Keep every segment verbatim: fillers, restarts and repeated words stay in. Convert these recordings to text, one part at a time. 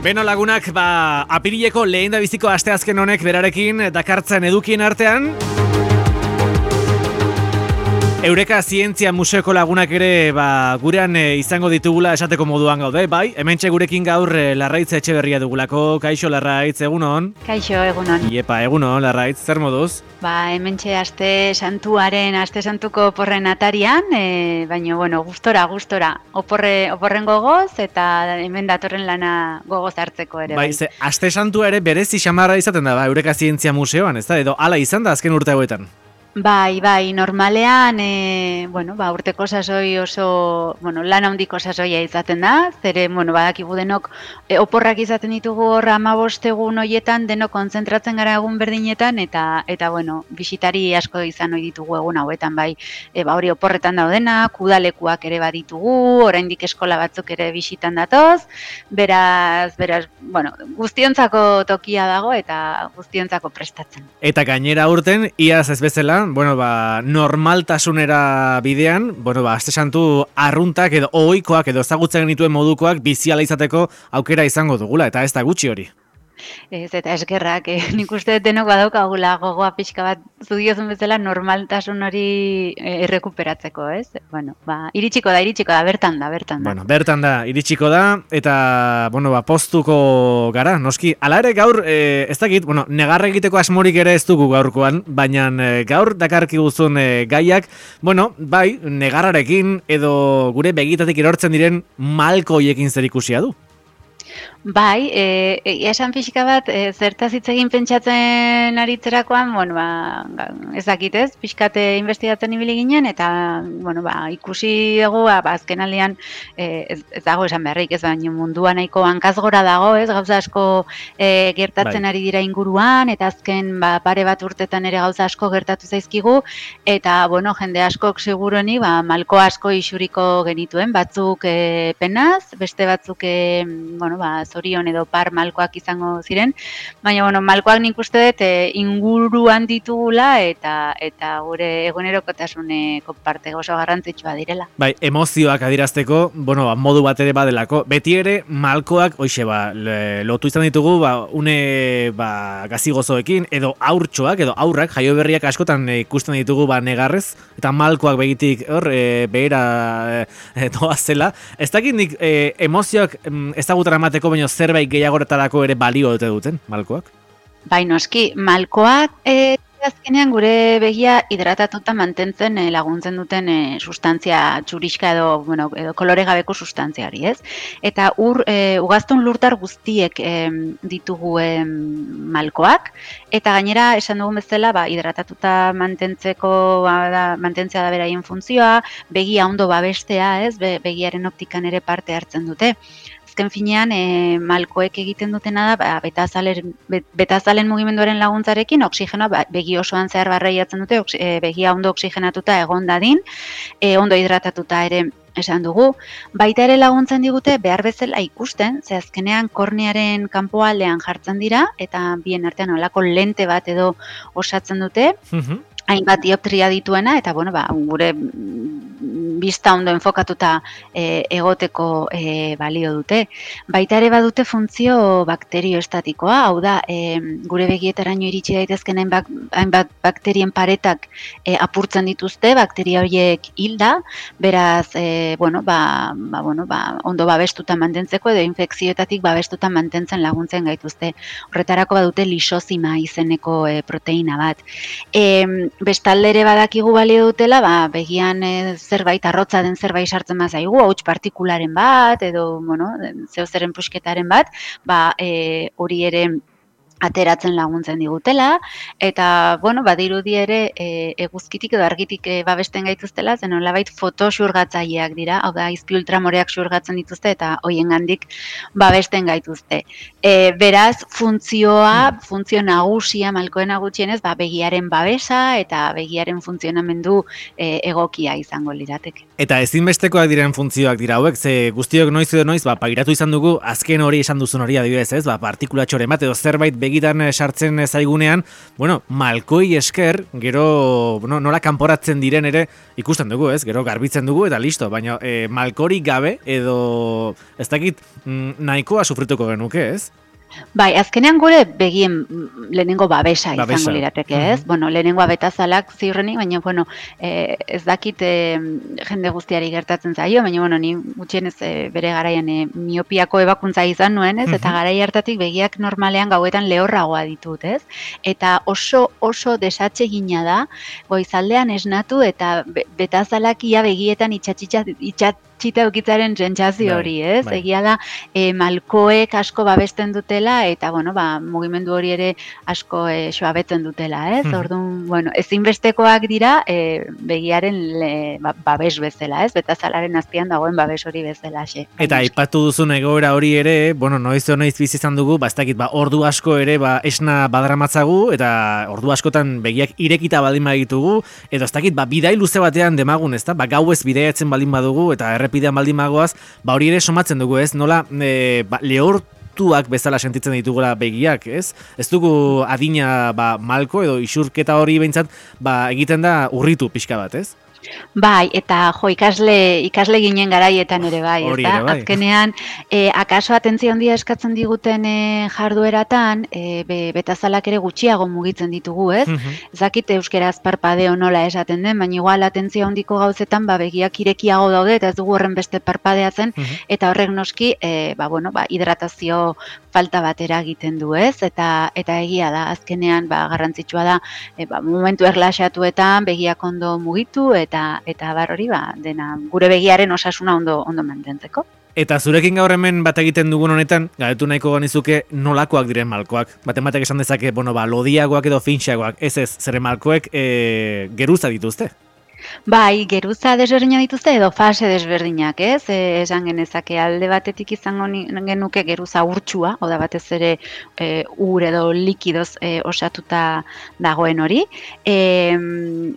Beno lagunak, ba, apirileko lehen da biziko asteazken honek berarekin dakartzen edukien artean. Eureka Zientzia Museoko lagunak ere ba, gurean e, izango ditugula esateko moduan gaude, bai? Hementxe gurekin gaur e, Larraitz Etxeberria dugulako. Kaixo Larraitz, egunon? Kaixo, egunon. Iepa, egunon, Larraitz, zer moduz? Ba, hementxe aste santuaren, aste santuko oporren atarian, e, baina, bueno, gustora, gustora. Oporre, oporren gogoz eta hemen datorren lana gogoz hartzeko ere. Bai, ze, aste santua ere berezi xamarra izaten da, ba, Eureka Zientzia Museoan, ez da? Edo hala izan da azken urte hauetan? Bai, bai, normalean, e, bueno, ba, urteko sasoi oso, bueno, lan handiko sasoia izaten da, zere, bueno, badakigu denok e, oporrak izaten ditugu hor hamabost egun hoietan, denok kontzentratzen gara egun berdinetan, eta, eta bueno, bisitari asko izan ohi ditugu egun hauetan, bai, e, ba, hori oporretan daudenak, udalekuak ere baditugu, oraindik eskola batzuk ere bisitan datoz, beraz, beraz, bueno, guztiontzako tokia dago eta guztiontzako prestatzen. Eta gainera urten, iaz ez bezala, bueno, ba, normaltasunera bidean, bueno, ba, aste santu arruntak edo ohikoak edo ezagutzen genituen modukoak biziala izateko aukera izango dugula, eta ez da gutxi hori. Ez, eta eskerrak, eh, nik uste denok badaukagula gogoa pixka bat zudiozun bezala normaltasun hori eh, errekuperatzeko, ez? Bueno, ba, iritsiko da, iritsiko da, bertan da, bertan da. Bueno, bertan da, iritsiko da, eta, bueno, ba, postuko gara, noski. Hala ere gaur, eh, ez dakit, bueno, negarra egiteko asmorik ere ez dugu gaurkoan, baina eh, gaur dakarki guzun eh, gaiak, bueno, bai, negarrarekin edo gure begitatik erortzen diren malkoiekin zer ikusia du. Bai, e, e, esan pixka bat, e, zertaz hitz egin pentsatzen aritzerakoan, bueno, ba, ez dakit ez, pixkate investigatzen ibili ginen, eta, bueno, ba, ikusi dugu, ba, azken aldean, e, ez, ez dago esan beharrik, ez baino mundua nahiko hankazgora dago, ez, gauza asko e, gertatzen bai. Ari dira inguruan, eta azken, ba, pare bat urtetan ere gauza asko gertatu zaizkigu, eta, bueno, jende askok seguroni, ba, malko asko isuriko genituen, batzuk e, penaz, beste batzuk, e, bueno, ba, zorion edo par malkoak izango ziren, baina bueno, malkoak nik uste dut e, inguruan ditugula eta eta gure egunerokotasuneko parte oso garrantzitsua direla. Bai, emozioak adierazteko, bueno, modu bat ere badelako. Beti ere malkoak, hoixe ba, lotu izan ditugu, ba, une ba, gazigozoekin edo aurtxoak edo aurrak, jaio berriak askotan e, ikusten ditugu ba, negarrez, eta malkoak begitik hor e, behera e, doazela. Ez dakit nik e, emozioak ezagutara emateko baina zerbait gehiagoretarako ere balio dute duten, malkoak? Bai, noski, malkoak e, azkenean gure begia hidratatuta mantentzen e, laguntzen duten e, sustantzia txuriska edo, bueno, edo kolore gabeko sustantzia hori, ez? Eta ur, e, ugaztun lurtar guztiek e, ditugu e, malkoak, eta gainera esan dugun bezala, ba, hidratatuta mantentzeko, ba, da, mantentzea da beraien funtzioa, begia ondo babestea, ez? Be, begiaren optikan ere parte hartzen dute. Azken finean, e, malkoek egiten dutena da, ba, betazalen, betazalen mugimenduaren laguntzarekin, oksigenoa ba, begi osoan zehar barreiatzen dute, oks, e, begia ondo oksigenatuta egon dadin, e, ondo hidratatuta ere esan dugu. Baita ere laguntzen digute behar bezala ikusten, ze azkenean kornearen kanpoaldean jartzen dira, eta bien artean olako lente bat edo osatzen dute, mm-hmm. hainbat dioptria dituena, eta bueno, ba, gure bista ondo enfokatuta e, egoteko e, balio dute. Baita ere badute funtzio bakterioestatikoa, hau da, e, gure begietaraino iritsi daitezken hainbat, hainbat bakterien paretak e, apurtzen dituzte, bakteria horiek hilda, beraz, e, bueno, ba, ba, bueno, ba, ondo babestuta mantentzeko edo infekzioetatik babestuta mantentzen laguntzen gaituzte. Horretarako badute lisozima izeneko e, proteina bat. E, bestalde ere badakigu balio dutela, ba, begian e, zerbait arrotza den zerbait sartzen bazaigu, hauts partikularen bat, edo, bueno, zeozeren pusketaren bat, ba, e, hori ere ateratzen laguntzen digutela, eta, bueno, badirudi ere e, eguzkitik edo argitik e, babesten gaituztela, zen nolabait fotoxurgatzaileak dira, hau da, izpi ultramoreak xurgatzen dituzte, eta hoiengandik babesten gaituzte. E, beraz, funtzioa, funtzio nagusia, malkoena gutxienez, ba, begiaren babesa eta begiaren funtzionamendu e, egokia izango lirateke. Eta ezinbestekoak diren funtzioak dira hauek, ze guztiok noiz edo noiz, ba, pairatu izan dugu, azken hori esan duzun hori adibidez, ez, ba, partikulatxoren bat edo zerbait begitan sartzen zaigunean, bueno, Malkoi esker, gero, bueno, nola kanporatzen diren ere ikusten dugu, ez? Gero garbitzen dugu eta listo, baina e, Malkorik gabe edo ez dakit nahikoa sufrituko genuke, ez? Bai, azkenean gure begien lehenengo babesa, babesa. izango lirateke, ez? Mm-hmm. Bueno, lehenengoa betazalak ziurrenik, baina, bueno, eh, ez dakit eh, jende guztiari gertatzen zaio, baina, bueno, ni gutxienez eh, bere garaian eh, miopiako ebakuntza izan nuen, ez? Mm-hmm. Eta garai hartatik begiak normalean gauetan lehorragoa ditut, ez? Eta oso, oso desatsegina da, goizaldean esnatu eta be, betazalak ia begietan itxatxitxat, itxat, txita eukitzaren sentsazio hori, ez? Bai. Egia da, e, malkoek asko babesten dutela, eta, bueno, ba, mugimendu hori ere asko e, soabetzen dutela, ez? Hmm. Orduan, bueno, ezinbestekoak dira e, begiaren le, ba, babes bezala, ez? Betazalaren azpian dagoen babes hori bezala, xe. Eta aipatu duzun egoera hori ere, bueno, noiz noiz bizi izan dugu, ba, ez dakit, ba, ordu asko ere, ba, esna badaramatzagu, eta ordu askotan begiak irekita baldin baditugu, edo ez dakit, ba, bidai luze batean demagun, ez da? Ba, gauez bidaiatzen baldin badugu, eta errepidean baldin magoaz, ba hori ere somatzen dugu, ez? Nola e, ba, lehortuak bezala sentitzen ditugula begiak, ez? Ez dugu adina ba, malko edo isurketa hori behintzat ba, egiten da urritu pixka bat, ez? Bai, eta jo, ikasle, ikasle ginen garaietan ere bai, ez da? Bai. Azkenean, e, akaso atentzio handia eskatzen diguten e, jardueratan, e, be, betazalak ere gutxiago mugitzen ditugu, ez? Mm-hmm. Ezakit euskeraz parpadeo nola esaten den, baina igual atentzio handiko gauzetan, ba, begiak irekiago daude, eta ez dugu horren beste parpadeatzen, mm-hmm. eta horrek noski, e, ba, bueno, ba, hidratazio falta bat eragiten du, ez? Eta, eta egia da, azkenean, ba, garrantzitsua da, e, ba, momentu erlaxatuetan, begiak ondo mugitu, eta eta bar hori ba, dena gure begiaren osasuna ondo ondo mantentzeko. Eta zurekin gaur hemen bat egiten dugun honetan, galdetu nahiko ganizuke nolakoak diren malkoak. Baten batek esan dezake, bueno, ba, lodiagoak edo finxagoak, ez ez, zere malkoek e, geruza dituzte? Bai, geruza desberdinak dituzte edo fase desberdinak, ez? E, esan genezake alde batetik izango genuke geruza urtsua, oda batez ere e, ur edo likidoz e, osatuta dagoen hori. E,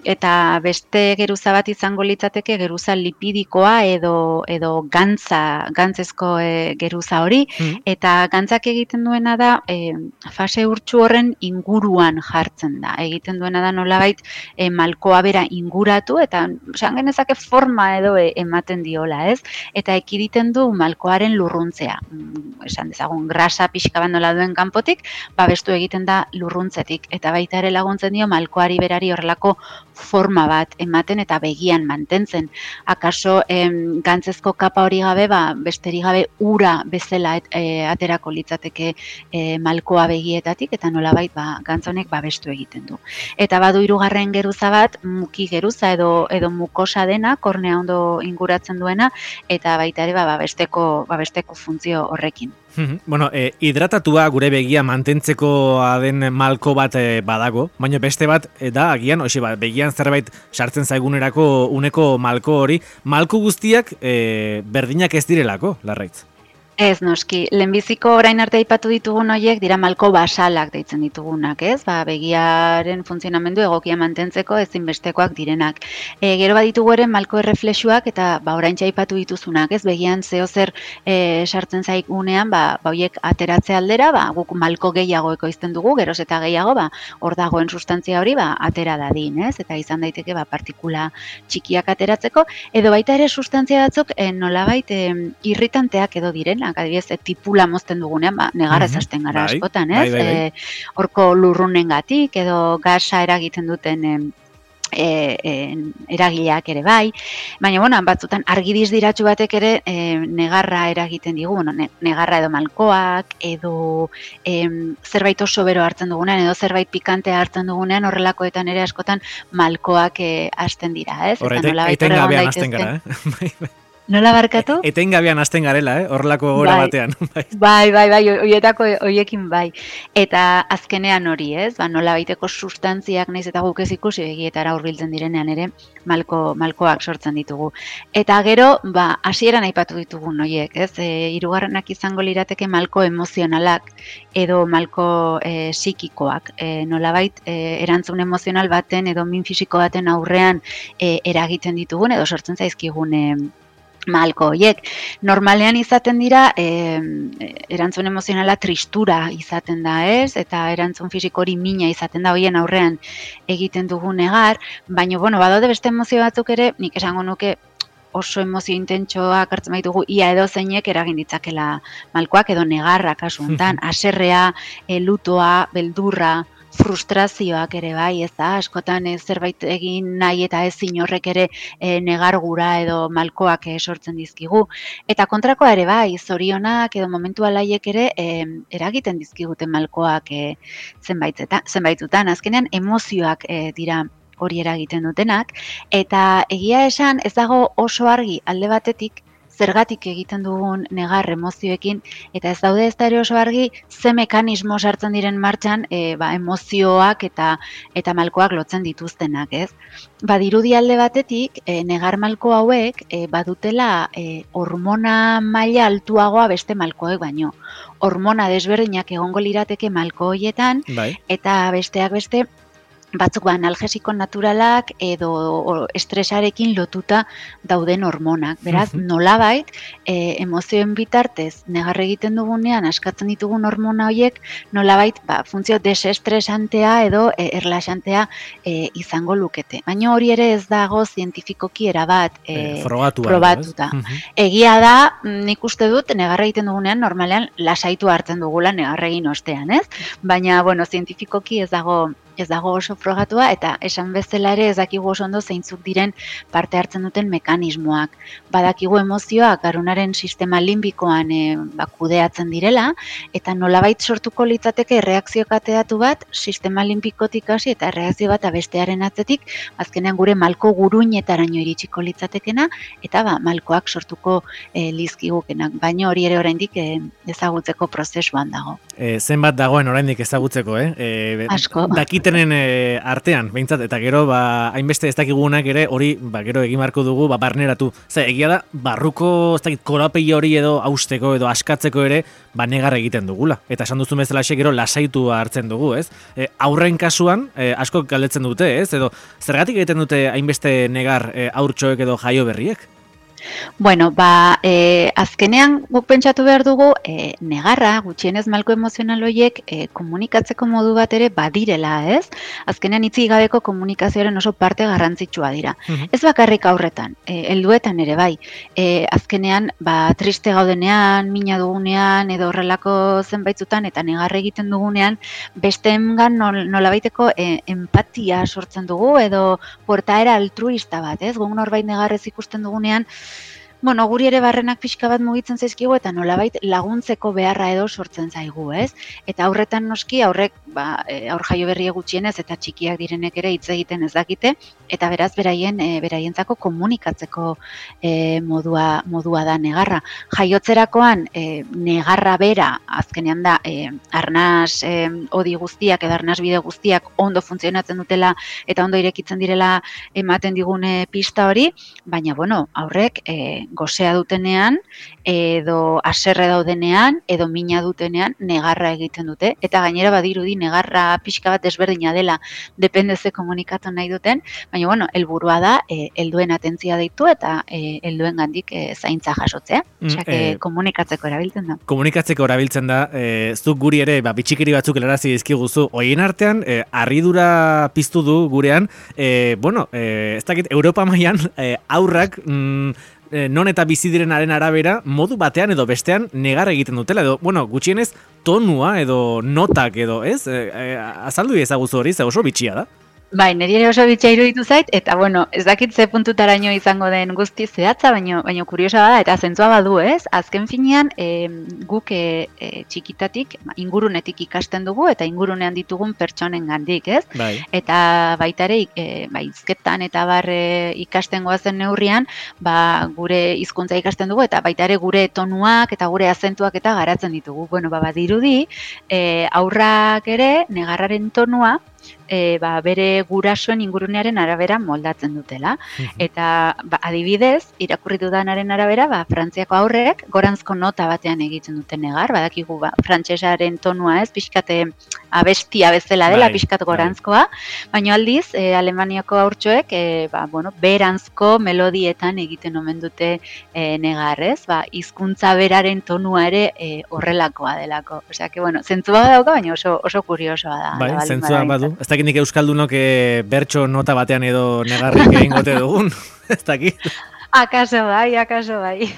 eta beste geruza bat izango litzateke geruza lipidikoa edo edo gantza, gantzezko e, geruza hori. Mm. Eta gantzak egiten duena da e, fase urtsu horren inguruan jartzen da. Egiten duena da nolabait e, malkoa bera inguratu, eta esan genezake forma edo ematen diola, ez? Eta ekiditen du malkoaren lurruntzea. Esan dezagun, grasa pixka bat nola duen kanpotik, babestu egiten da lurruntzetik. Eta baita ere laguntzen dio malkoari berari horrelako forma bat ematen eta begian mantentzen. Akaso em, gantzezko kapa hori gabe, ba, besteri gabe ura bezala et, e, aterako litzateke e, malkoa begietatik, eta nolabait ba, gantzonek babestu egiten du. Eta badu hirugarren geruza bat, muki geruza edo edo mukosa dena, kornea ondo inguratzen duena, eta baita ere ba, babesteko, babesteko funtzio horrekin. Bueno, e, hidratatua gure begia mantentzekoa den malko bat e, badago, baina beste bat e, da, agian, oxe, ba, begian zerbait sartzen zaigunerako uneko malko hori, malko guztiak e, berdinak ez direlako, Larraitz? Ez, noski, lehenbiziko orain arte aipatu ditugun horiek dira malko basalak deitzen ditugunak, ez? Ba, begiaren funtzionamendu egokia mantentzeko ezinbestekoak direnak. E, gero baditugu ere malko erreflexuak eta ba, oraintxe aipatu dituzunak, ez? Begian zeo zer e, sartzen zaigunean, ba, ba horiek ateratze aldera, ba, guk malko gehiago ekoizten dugu, geroz eta gehiago, ba, hor dagoen sustantzia hori, ba, atera dadin, ez? Eta izan daiteke, ba, partikula txikiak ateratzeko, edo baita ere sustantzia batzuk e, nolabait e, irritanteak edo direnak, adibidez, e, tipula mozten dugunean, ba, negarra mm-hmm. ezasten gara bai, askotan, ez? Bai, bai, bai. E, horko lurrunengatik edo gasa eragiten duten e, e, e, eragileak ere bai, baina, bueno, batzutan argidiz diratxu batek ere e, negarra eragiten digu, bueno, ne, negarra edo malkoak, edo e, zerbait oso bero hartzen dugunean, edo zerbait pikantea hartzen dugunean, horrelakoetan ere askotan malkoak e, hasten dira, ez? Horre, eten gabean hasten gara, eh? Nola barkatu? E, etengabean hasten garela, eh? Horrelako gora bai, batean. bai, bai, bai, horietako horiekin bai. Eta azkenean hori, ez? Ba, nola baiteko sustantziak naiz eta guk ez ikusi begietara hurbiltzen direnean ere malko, malkoak sortzen ditugu. Eta gero, ba, hasieran aipatu ditugun horiek, ez? E, hirugarrenak izango lirateke malko emozionalak edo malko e, psikikoak. E, nolabait e, erantzun emozional baten edo min fisiko baten aurrean e, eragiten ditugun edo sortzen zaizkigun e, malko horiek. Normalean izaten dira, e, erantzun emozionala tristura izaten da, ez? Eta erantzun fisiko hori mina izaten da hoien aurrean egiten dugu negar, baina, bueno, badaude beste emozio batzuk ere, nik esango nuke oso emozio intentsoak hartzen baitugu, ia edo zeinek eragin ditzakela malkoak edo negarra kasu honetan, haserrea, e, lutoa, beldurra, frustrazioak ere bai, ez da, askotan ez zerbait egin nahi eta ezin horrek ere e, negargura edo malkoak e, sortzen dizkigu. Eta kontrakoa ere bai, zorionak edo momentu alaiek ere e, eragiten dizkiguten malkoak e, zenbaitzetan, zenbaitutan, azkenean emozioak e, dira hori eragiten dutenak, eta egia esan ez dago oso argi alde batetik, zergatik egiten dugun negar emozioekin, eta ez daude ez da ere oso argi ze mekanismo sartzen diren martxan e, ba, emozioak eta eta malkoak lotzen dituztenak, ez? Badirudi alde batetik, e, negar malko hauek e, badutela e, hormona maila altuagoa beste malkoek baino. Hormona desberdinak egongo lirateke malko hoietan, bai. eta besteak beste, batzuk ba, analgesiko naturalak edo estresarekin lotuta dauden hormonak. Beraz, Mhm. nolabait, e, emozioen bitartez, negar egiten dugunean, askatzen ditugun hormona horiek, nolabait, ba, funtzio desestresantea edo e, erlaxantea e, izango lukete. Baina hori ere ez dago zientifikoki erabat e, Eh, frogatua, probatuta. edo, ez? Mhm. Egia da, nik uste dut, negar egiten dugunean, normalean, lasaitu hartzen dugula negar egin ostean, ez? Baina, bueno, zientifikoki ez dago ez dago oso frogatua, eta esan bezala ere ez dakigu oso ondo zeintzuk diren parte hartzen duten mekanismoak. Badakigu emozioak garunaren sistema limbikoan e, ba, kudeatzen direla, eta nolabait sortuko litzateke erreakzio kateatu bat, sistema limbikotik hasi eta erreakzio bat bestearen atzetik, azkenean gure malko guruinetaraino iritsiko litzatekena, eta ba, malkoak sortuko e, lizkigukenak, baina hori ere oraindik e, ezagutzeko prozesuan dago. E, zenbat dagoen oraindik ezagutzeko, eh? E, Asko. Dakitenen e, artean, behintzat, eta gero, ba, hainbeste ez dakigunak ere, hori, ba, gero egin beharko dugu, ba, barneratu. Ze, egia da, barruko, ez dakit, korapei hori edo hausteko edo askatzeko ere, ba, negar egiten dugula. Eta esan duzun bezala gero lasaitua hartzen dugu, ez? E, aurren kasuan, e, asko galdetzen dute, ez? Edo, zergatik egiten dute hainbeste negar e, haurtxoek edo jaio berriek? Bueno, ba, e, azkenean guk pentsatu behar dugu e, negarra, gutxienez malko emozional horiek e, komunikatzeko modu bat ere badirela, ez? Azkenean hitzik gabeko komunikazioaren oso parte garrantzitsua dira. Mhm. Ez bakarrik aurretan, e, helduetan ere bai. E, azkenean, ba, triste gaudenean, mina dugunean, edo horrelako zenbaitzutan, eta negar egiten dugunean, besteengan nol, nolabaiteko e, empatia sortzen dugu, edo portaera altruista bat, ez? Guk norbait negarrez ikusten dugunean, bueno, guri ere barrenak pixka bat mugitzen zaizkigu eta nolabait laguntzeko beharra edo sortzen zaigu, ez? Eta aurretan noski, aurrek, ba, aur jaio berrie gutxienez eta txikiak direnek ere hitz egiten ez dakite, eta beraz beraien e, beraientzako komunikatzeko e, modua, modua da negarra. Jaiotzerakoan e, negarra bera, azkenean da, e, arnaz e, odi guztiak edo arnaz bide guztiak ondo funtzionatzen dutela eta ondo irekitzen direla ematen digune pista hori, baina, bueno, aurrek e, gozea dutenean, edo haserre daudenean, edo mina dutenean, negarra egiten dute. Eta gainera badirudi negarra pixka bat desberdina dela, depende ze komunikatu nahi duten, baina, bueno, helburua da, e, helduen atentzia deitu eta e, helduen gandik e, zaintza jasotzea. Osea, Mm, eh, komunikatzeko erabiltzen da. Komunikatzeko erabiltzen da, e, zuk guri ere, ba, bitxikeri batzuk helarazi dizkiguzu, hoien artean, e, harridura piztu du gurean, e, bueno, e, ez dakit, Europa mailan e, aurrak, mm, non eta bizi direnaren arabera, modu batean edo bestean negar egiten dutela, edo, bueno, gutxienez, tonua edo notak edo, ez? E, e, azaldu ezaguzu hori, ze oso bitxia da. Bai, niri ere oso bitxia iruditu zait, eta bueno, ez dakit ze puntutaraino izango den guzti zehatza, baino, baino kuriosa bada, eta zentzua badu, ez? Azken finean, e, guk e, e, txikitatik, ingurunetik ikasten dugu, eta ingurunean ditugun pertsonen gandik, ez? Bai. Eta baita ere, e, ba, hizketan eta bar e, ikasten goazen neurrian, ba, gure hizkuntza ikasten dugu, eta baita ere gure tonuak eta gure azentuak eta garatzen ditugu. Bueno, ba, badirudi, e, aurrak ere, negarraren tonua, E, ba, bere gurasoen ingurunearen arabera moldatzen dutela. Eta ba, adibidez, irakurri dudanaren arabera, ba, Frantziako aurrek goranzko nota batean egiten dute negar, badakigu ba, frantsesaren tonua ez, pixkate abestia bezala dela, bai, pixkat bai. gorantzkoa, baina aldiz, e, Alemaniako haurtxoek, e, ba, bueno, berantzko melodietan egiten omen dute e, negarrez, ba, hizkuntza beraren tonua ere e, horrelakoa delako. Osea, que, bueno, zentzua dauka, baina oso, oso kuriosoa da. Bai, da zentzua badu. Ez dakit nik euskaldunok e, bertso nota batean edo negarrik egingote dugun. Ez dakit. Akaso bai, akaso bai.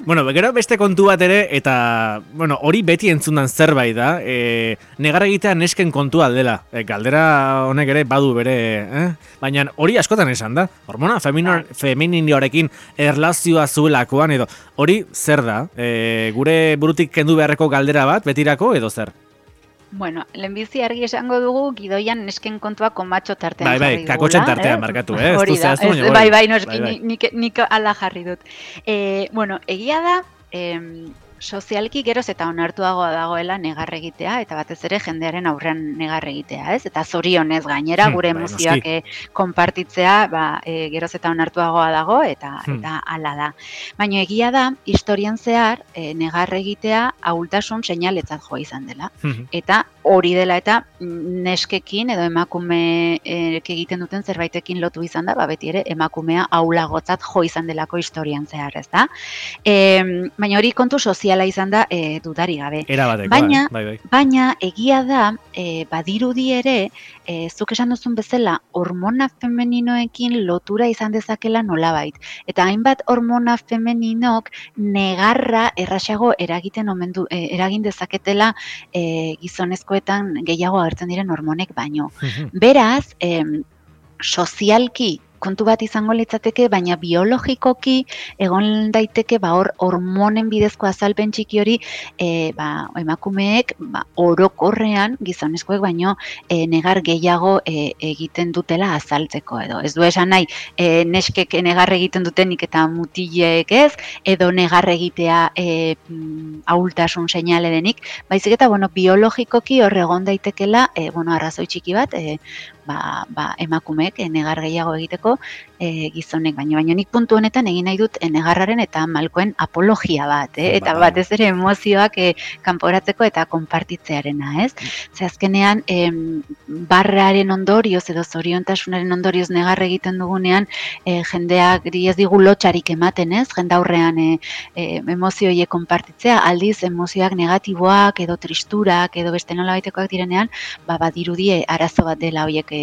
Bueno, gero beste kontu bat ere, eta bueno, hori beti entzundan zerbait da, e, negar egitea nesken kontua dela. E, galdera honek ere badu bere, eh? Baina hori askotan esan da. Hormona femininioarekin erlazioa zuelakoan edo hori zer da? E, gure burutik kendu beharreko galdera bat, betirako edo zer? Bueno, lehenbizi argi esango dugu gidoian nesken kontua konbatxo tartean bai, bai, jarri dugula. kakotxen tartean markatu, eh? Hori da, ez, ez, bai, bai, noski, bai, bai. nik, nik ala jarri dut. E, bueno, egia da, em, sozialki geroz eta onartuagoa dagoela negar egitea, eta batez ere jendearen aurrean negar egitea, ez? Eta zorionez gainera, Hmm, gure bai, emozioak noski. e, konpartitzea, ba, e, geroz eta onartuagoa dago, eta Hmm. eta hala da. Baina egia da, historian zehar, e, negar egitea ahultasun seinaletzat joa izan dela. Mhm. Eta hori dela eta neskekin edo emakumeek egiten duten zerbaitekin lotu izan da, ba beti ere emakumea ahulagotzat jo izan delako historian zehar, ez da? E, baina hori kontu soziala izan da e, dudari gabe. Era batekoa, Baina, eh? bai, bai. baina egia da, e, badirudi ere, e, zuk esan duzun bezala, hormona femeninoekin lotura izan dezakela nolabait. Eta hainbat hormona femeninok negarra errasago eragiten omen du, e, eragin dezaketela e, gizonezkoetan gehiago agertzen diren hormonek baino. Mhm. Beraz, em, sozialki kontu bat izango litzateke, baina biologikoki egon daiteke ba hor hormonen bidezko azalpen txiki hori e, ba, emakumeek ba, orokorrean gizonezkoek baino e, negar gehiago e, egiten dutela azaltzeko edo. Ez du esan nahi e, neskek negar egiten dutenik eta mutilek ez, edo negar egitea e, mm, ahultasun seinale denik, baizik eta bueno, biologikoki hor egon daitekela e, bueno, arrazoi txiki bat e, ba, ba, emakumeek e, negar gehiago egiteko e, gizonek baino. Baina nik puntu honetan egin nahi dut e, negarraren eta malkoen apologia bat, eh? Eta Bai. batez ere emozioak e, kanporatzeko eta konpartitzearena, ez? Ze azkenean em, barraren ondorioz edo zoriontasunaren ondorioz negar egiten dugunean e, jendeak ez digu lotxarik ematen, ez? Jende aurrean e, e, emozio horiek konpartitzea, aldiz emozioak negatiboak edo tristurak edo beste nolabaitekoak direnean, ba badirudie arazo bat dela horiek e,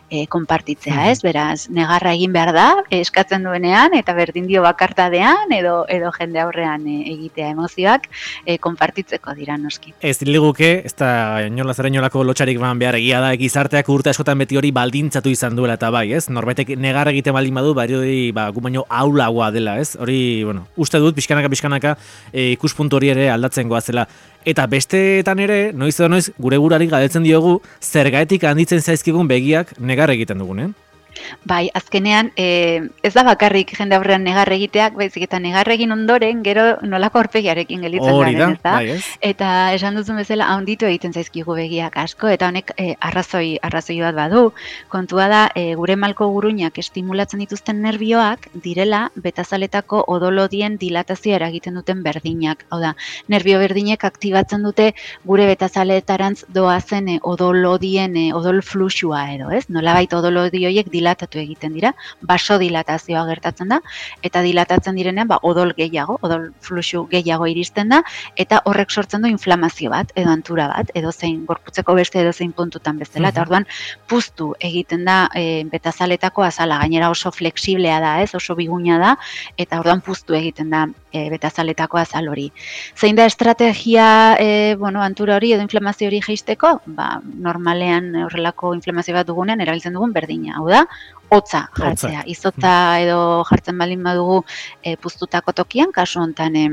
e, konpartitzea, ez? Beraz, negarra egin behar da, eskatzen duenean, eta berdin dio bakartadean, edo edo jende aurrean e, egitea emozioak e, konpartitzeko dira noski. Ez liguke, ez da inola zer inolako lotxarik ban behar egia da, gizarteak urte askotan beti hori baldintzatu izan duela eta bai, ez? Norbetek negar egiten baldin badu, bari hori ba, gu baino aulagoa dela, ez? Hori, bueno, uste dut, pixkanaka, pixkanaka, e, ikuspuntu hori ere aldatzen goazela. Eta besteetan ere, noiz edo noiz, gure burari galdetzen diogu, zergaetik handitzen zaizkigun begiak negar egiten dugunen. Bai, azkenean, e, ez da bakarrik jende aurrean negar egiteak, baizik eta negar egin ondoren, gero nolako aurpegiarekin gelditzen Hori da, garen, ez da? bai, ez? Eta esan duzun bezala, handitu egiten zaizkigu begiak asko, eta honek e, arrazoi, arrazoi bat badu. Kontua da, e, gure malko guruinak estimulatzen dituzten nerbioak, direla betazaletako odolodien dilatazioa eragiten duten berdinak. Hau da, nerbio berdinek aktibatzen dute gure betazaletarantz doazen e, odolodien, e, odol fluxua edo, ez? Nolabait odolodi horiek dilatatu egiten dira, basodilatazioa gertatzen da, eta dilatatzen direnean ba, odol gehiago, odol fluxu gehiago iristen da, eta horrek sortzen du inflamazio bat, edo antura bat, edo zein gorputzeko beste edo zein puntutan bezala, eta orduan puztu egiten da e, betazaletako azala, gainera oso flexiblea da, ez, oso biguna da, eta orduan puztu egiten da e, betazaletako azal hori. Zein da estrategia e, bueno, antura hori edo inflamazio hori jeisteko? Ba, normalean horrelako inflamazio bat dugunean erabiltzen dugun berdina, hau da, hotza jartzea. Izotza edo jartzen baldin badugu e, puztutako tokian, kasu honetan e,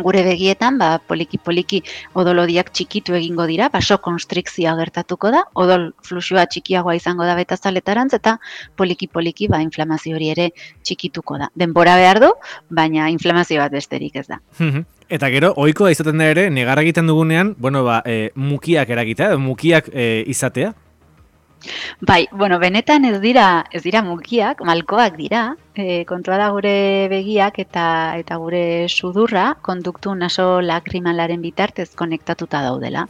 gure begietan, ba, poliki-poliki odolodiak txikitu egingo dira, basokonstrikzioa gertatuko da, odol fluxua txikiagoa izango da betazaletarantz, eta poliki-poliki ba, inflamazio hori ere txikituko da. Denbora behar du, baina inflamazio bat besterik ez da. Eta gero, ohikoa izaten da ere, negar egiten dugunean, bueno, ba, e, mukiak eragitea, mukiak e, izatea? Bai, bueno, benetan ez dira, ez dira mukiak, malkoak dira, e, kontua da gure begiak eta eta gure sudurra konduktu naso lakrimalaren bitartez konektatuta daudela.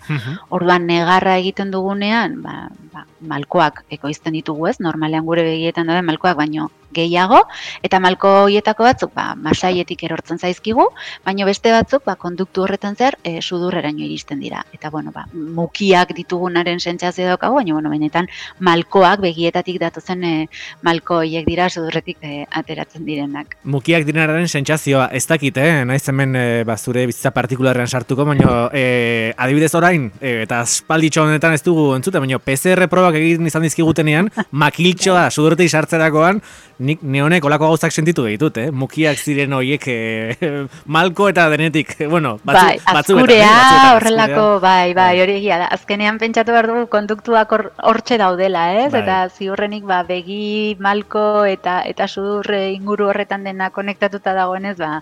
Orduan negarra egiten dugunean, ba, ba, malkoak ekoizten ditugu ez, normalean gure begietan dauden malkoak baino gehiago, eta malko horietako batzuk ba, masaietik erortzen zaizkigu, baino beste batzuk ba, konduktu horretan zer e, sudurreraino iristen dira. Eta bueno, ba, mukiak ditugunaren sentsazio daukagu, baina bueno, benetan malkoak begietatik datozen e, malko horiek dira sudurretik e, ateratzen direnak. Mukiak direnaren sentsazioa ez dakit, eh? Naiz hemen e, ba, zure bizitza partikularrean sartuko, baina e, adibidez orain, e, eta aspalditxo honetan ez dugu entzute, baina P C R probak egin izan dizkigutenean, makiltxoa sudurretik sartzerakoan, nik neonek olako gauzak sentitu ditut, eh? Mukiak ziren horiek e, malko eta denetik, bueno, batzu, bai, batzuetan. Azkurea, batzuetan, horrelako, bai, bai, hori egia da. Azkenean pentsatu behar dugu konduktuak hortxe daudela, ez? Bai. Eta ziurrenik ba, begi, malko eta eta sudurre inguru horretan dena konektatuta dagoenez, ba,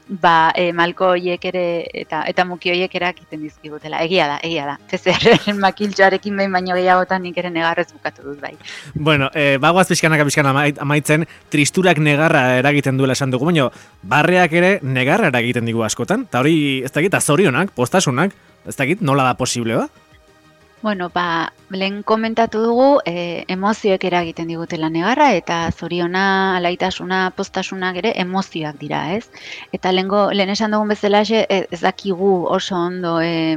ba e, malko horiek ere eta eta muki horiek erakiten dizkigutela. Egia da, egia da. P C R-en makiltxoarekin behin baino gehiagotan nik ere negarrez bukatu dut, bai. Bueno, e, bagoaz pixkanaka pixkan amaitzen, tristurak negarra eragiten duela esan dugu, baina barreak ere negarra eragiten digu askotan, eta hori, ez dakit, azorionak, postasunak, ez dakit, nola da posible, ba? Bueno, ba, lehen komentatu dugu, e, emozioek eragiten digutela negarra, eta zoriona, alaitasuna, postasunak ere emozioak dira, ez? Eta lehengo, lehen esan dugun bezala ez dakigu oso ondo e,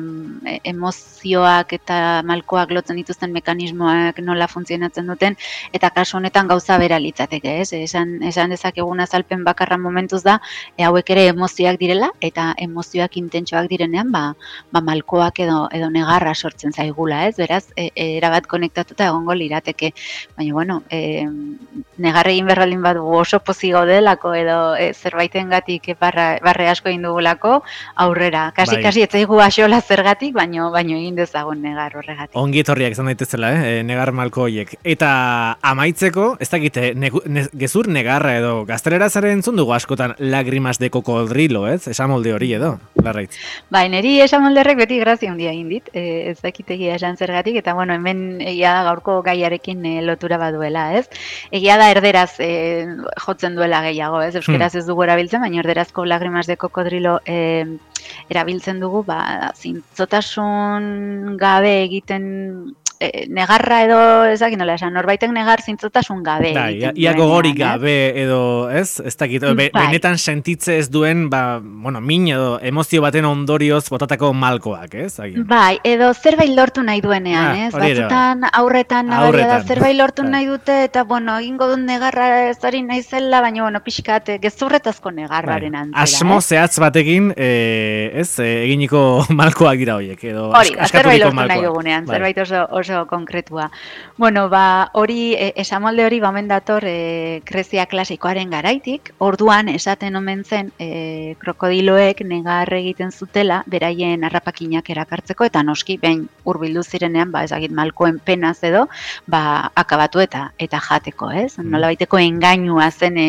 emozioak eta malkoak lotzen dituzten mekanismoak nola funtzionatzen duten, eta kasu honetan gauza bera litzateke, ez? Esan, esan dezakegun azalpen bakarra momentuz da, e, hauek ere emozioak direla, eta emozioak intentsoak direnean, ba, ba malkoak edo, edo negarra sortzen zaigula. Ez, beraz, e, erabat konektatuta egongo lirateke. Baina, bueno, e, negarre egin berralin badu oso pozik gaudelako edo e, zerbaitengatik barra, barre asko egin dugulako aurrera. Kasi, bai. kasi, ez zaigu axola zergatik, baino, baino egin dezagun negar horregatik. Ongi etorriak izan daitezela, eh? negar malko horiek. Eta amaitzeko, ez dakite, ne, ne, gezur negarra edo gaztelera zaren entzun dugu askotan lagrimas de cocodrilo, ez? Esamolde hori edo, larraitz. Bai, niri esamolderrek beti grazia handia egin dit, e, ez dakitegia esan zergatik, eta bueno, hemen egia da gaurko gaiarekin e, lotura baduela, ez? Egia da erderaz e, jotzen duela gehiago, ez? Euskeraz ez dugu erabiltzen, baina erderazko lagrimas de cocodrilo e, erabiltzen dugu, ba, zintzotasun gabe egiten e, negarra edo, ez dakit nola esan, norbaitek negar zintzotasun gabe. Da, ia gogori gabe edo, ez? Ez dakit, be, bai. Benetan sentitze ez duen, ba, bueno, min edo emozio baten ondorioz botatako malkoak, ez? Agian. Bai, edo zerbait lortu nahi duenean, ah, ez? Batzutan aurretan nabaria da zerbait lortu bai. nahi dute, eta, bueno, egingo dut negarra ez hori nahi zela, baina, bueno, pixkat, gezurretazko negarraren bai. antzera. Asmo eh? zehatz batekin, e, ez, e, eginiko malkoak dira horiek, edo hori, askaturiko malkoak. Hori, zerbait lortu nahi dugunean, bai. zerbait oso, oso konkretua. Bueno, ba, hori, e, esamolde hori bamen dator e, Grezia klasikoaren garaitik, orduan esaten omen zen e, krokodiloek negar egiten zutela, beraien harrapakinak erakartzeko, eta noski, behin hurbildu zirenean, ba, ezagit malkoen penaz edo, ba, akabatu eta eta jateko, ez? Mm. Nola baiteko engainua zen, e,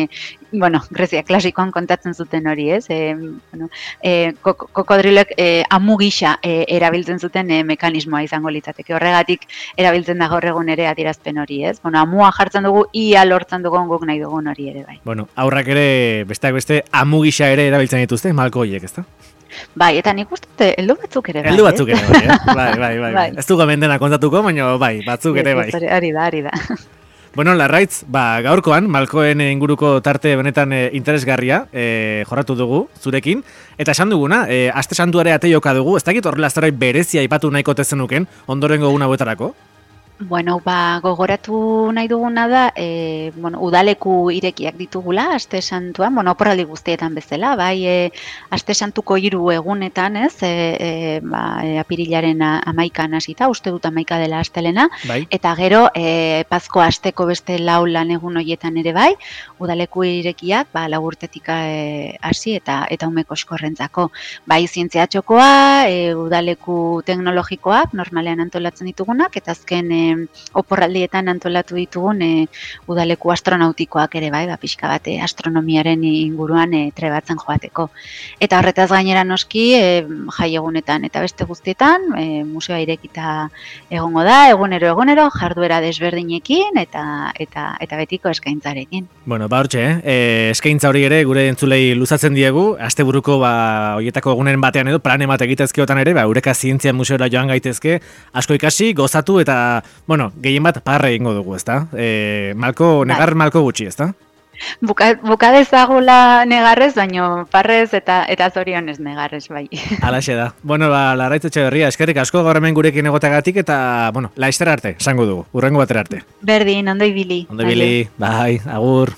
bueno, Grezia klasikoan kontatzen zuten hori, ez? E, bueno, e, kokodrilek e, amu gisa e, erabiltzen zuten e, mekanismoa izango litzateke. Horregatik erabiltzen da gaur egun ere adierazpen hori, ez? Bueno, amua jartzen dugu, ia lortzen dugun guk nahi dugun hori ere, bai. Bueno, aurrak ere, besteak beste, amu gisa ere erabiltzen dituzte, malko horiek, ezta? Bai, eta nik uste, heldu batzuk ere bai. Heldu batzuk ere bai, eh? bai, bai, bai, bai. Ez dugu mendena kontatuko, baina bai, batzuk ere bai. Ari da, ari da. Bueno, Larraitz, ba, gaurkoan, malkoen inguruko tarte benetan e, interesgarria e, jorratu dugu, zurekin. Eta esan duguna, e, aste santuare ateioka dugu, ez dakit horrela zerbait berezia aipatu nahiko tezenuken, ondorengo guna buetarako? Bueno, ba, gogoratu nahi duguna da, e, bueno, udaleku irekiak ditugula, aste santuan, bueno, oporraldi guztietan bezala, bai, e, aste santuko hiru egunetan, ez, e, e, ba, e, apirilaren amaikan hasita, uste dut amaika dela astelena, bai. Eta gero, e, pazko asteko beste lau lan egun horietan ere bai, udaleku irekiak, ba, lau urtetik hasi e, eta eta umeko eskorrentzako, bai, zientzia txokoa, e, udaleku teknologikoak, normalean antolatzen ditugunak, eta azken e, e, oporraldietan antolatu ditugun e, udaleku astronautikoak ere bai, ba, pixka bat e, astronomiaren inguruan e, trebatzen joateko. Eta horretaz gainera noski e, jai egunetan eta beste guztietan e, museoa irekita egongo da, egunero egunero jarduera desberdinekin eta eta eta betiko eskaintzarekin. Bueno, ba hortxe, eh? eskaintza hori ere gure entzulei luzatzen diegu, asteburuko ba hoietako egunen batean edo plan bat egitezkeotan ere, ba Eureka Zientzia Museora joan gaitezke, asko ikasi, gozatu eta bueno, gehien bat parre egingo dugu, ezta? Eh, malko negar malko gutxi, ezta? Buka, buka dezagula negarrez, baino parrez eta eta zorionez negarrez bai. Halaxe da. Bueno, ba Larraitz Etxeberria, eskerrik asko gaur hemen gurekin egoteagatik eta bueno, laster arte, esango dugu. Hurrengo batera arte. Berdin, ondo ibili. Ondo ibili. Bai, agur.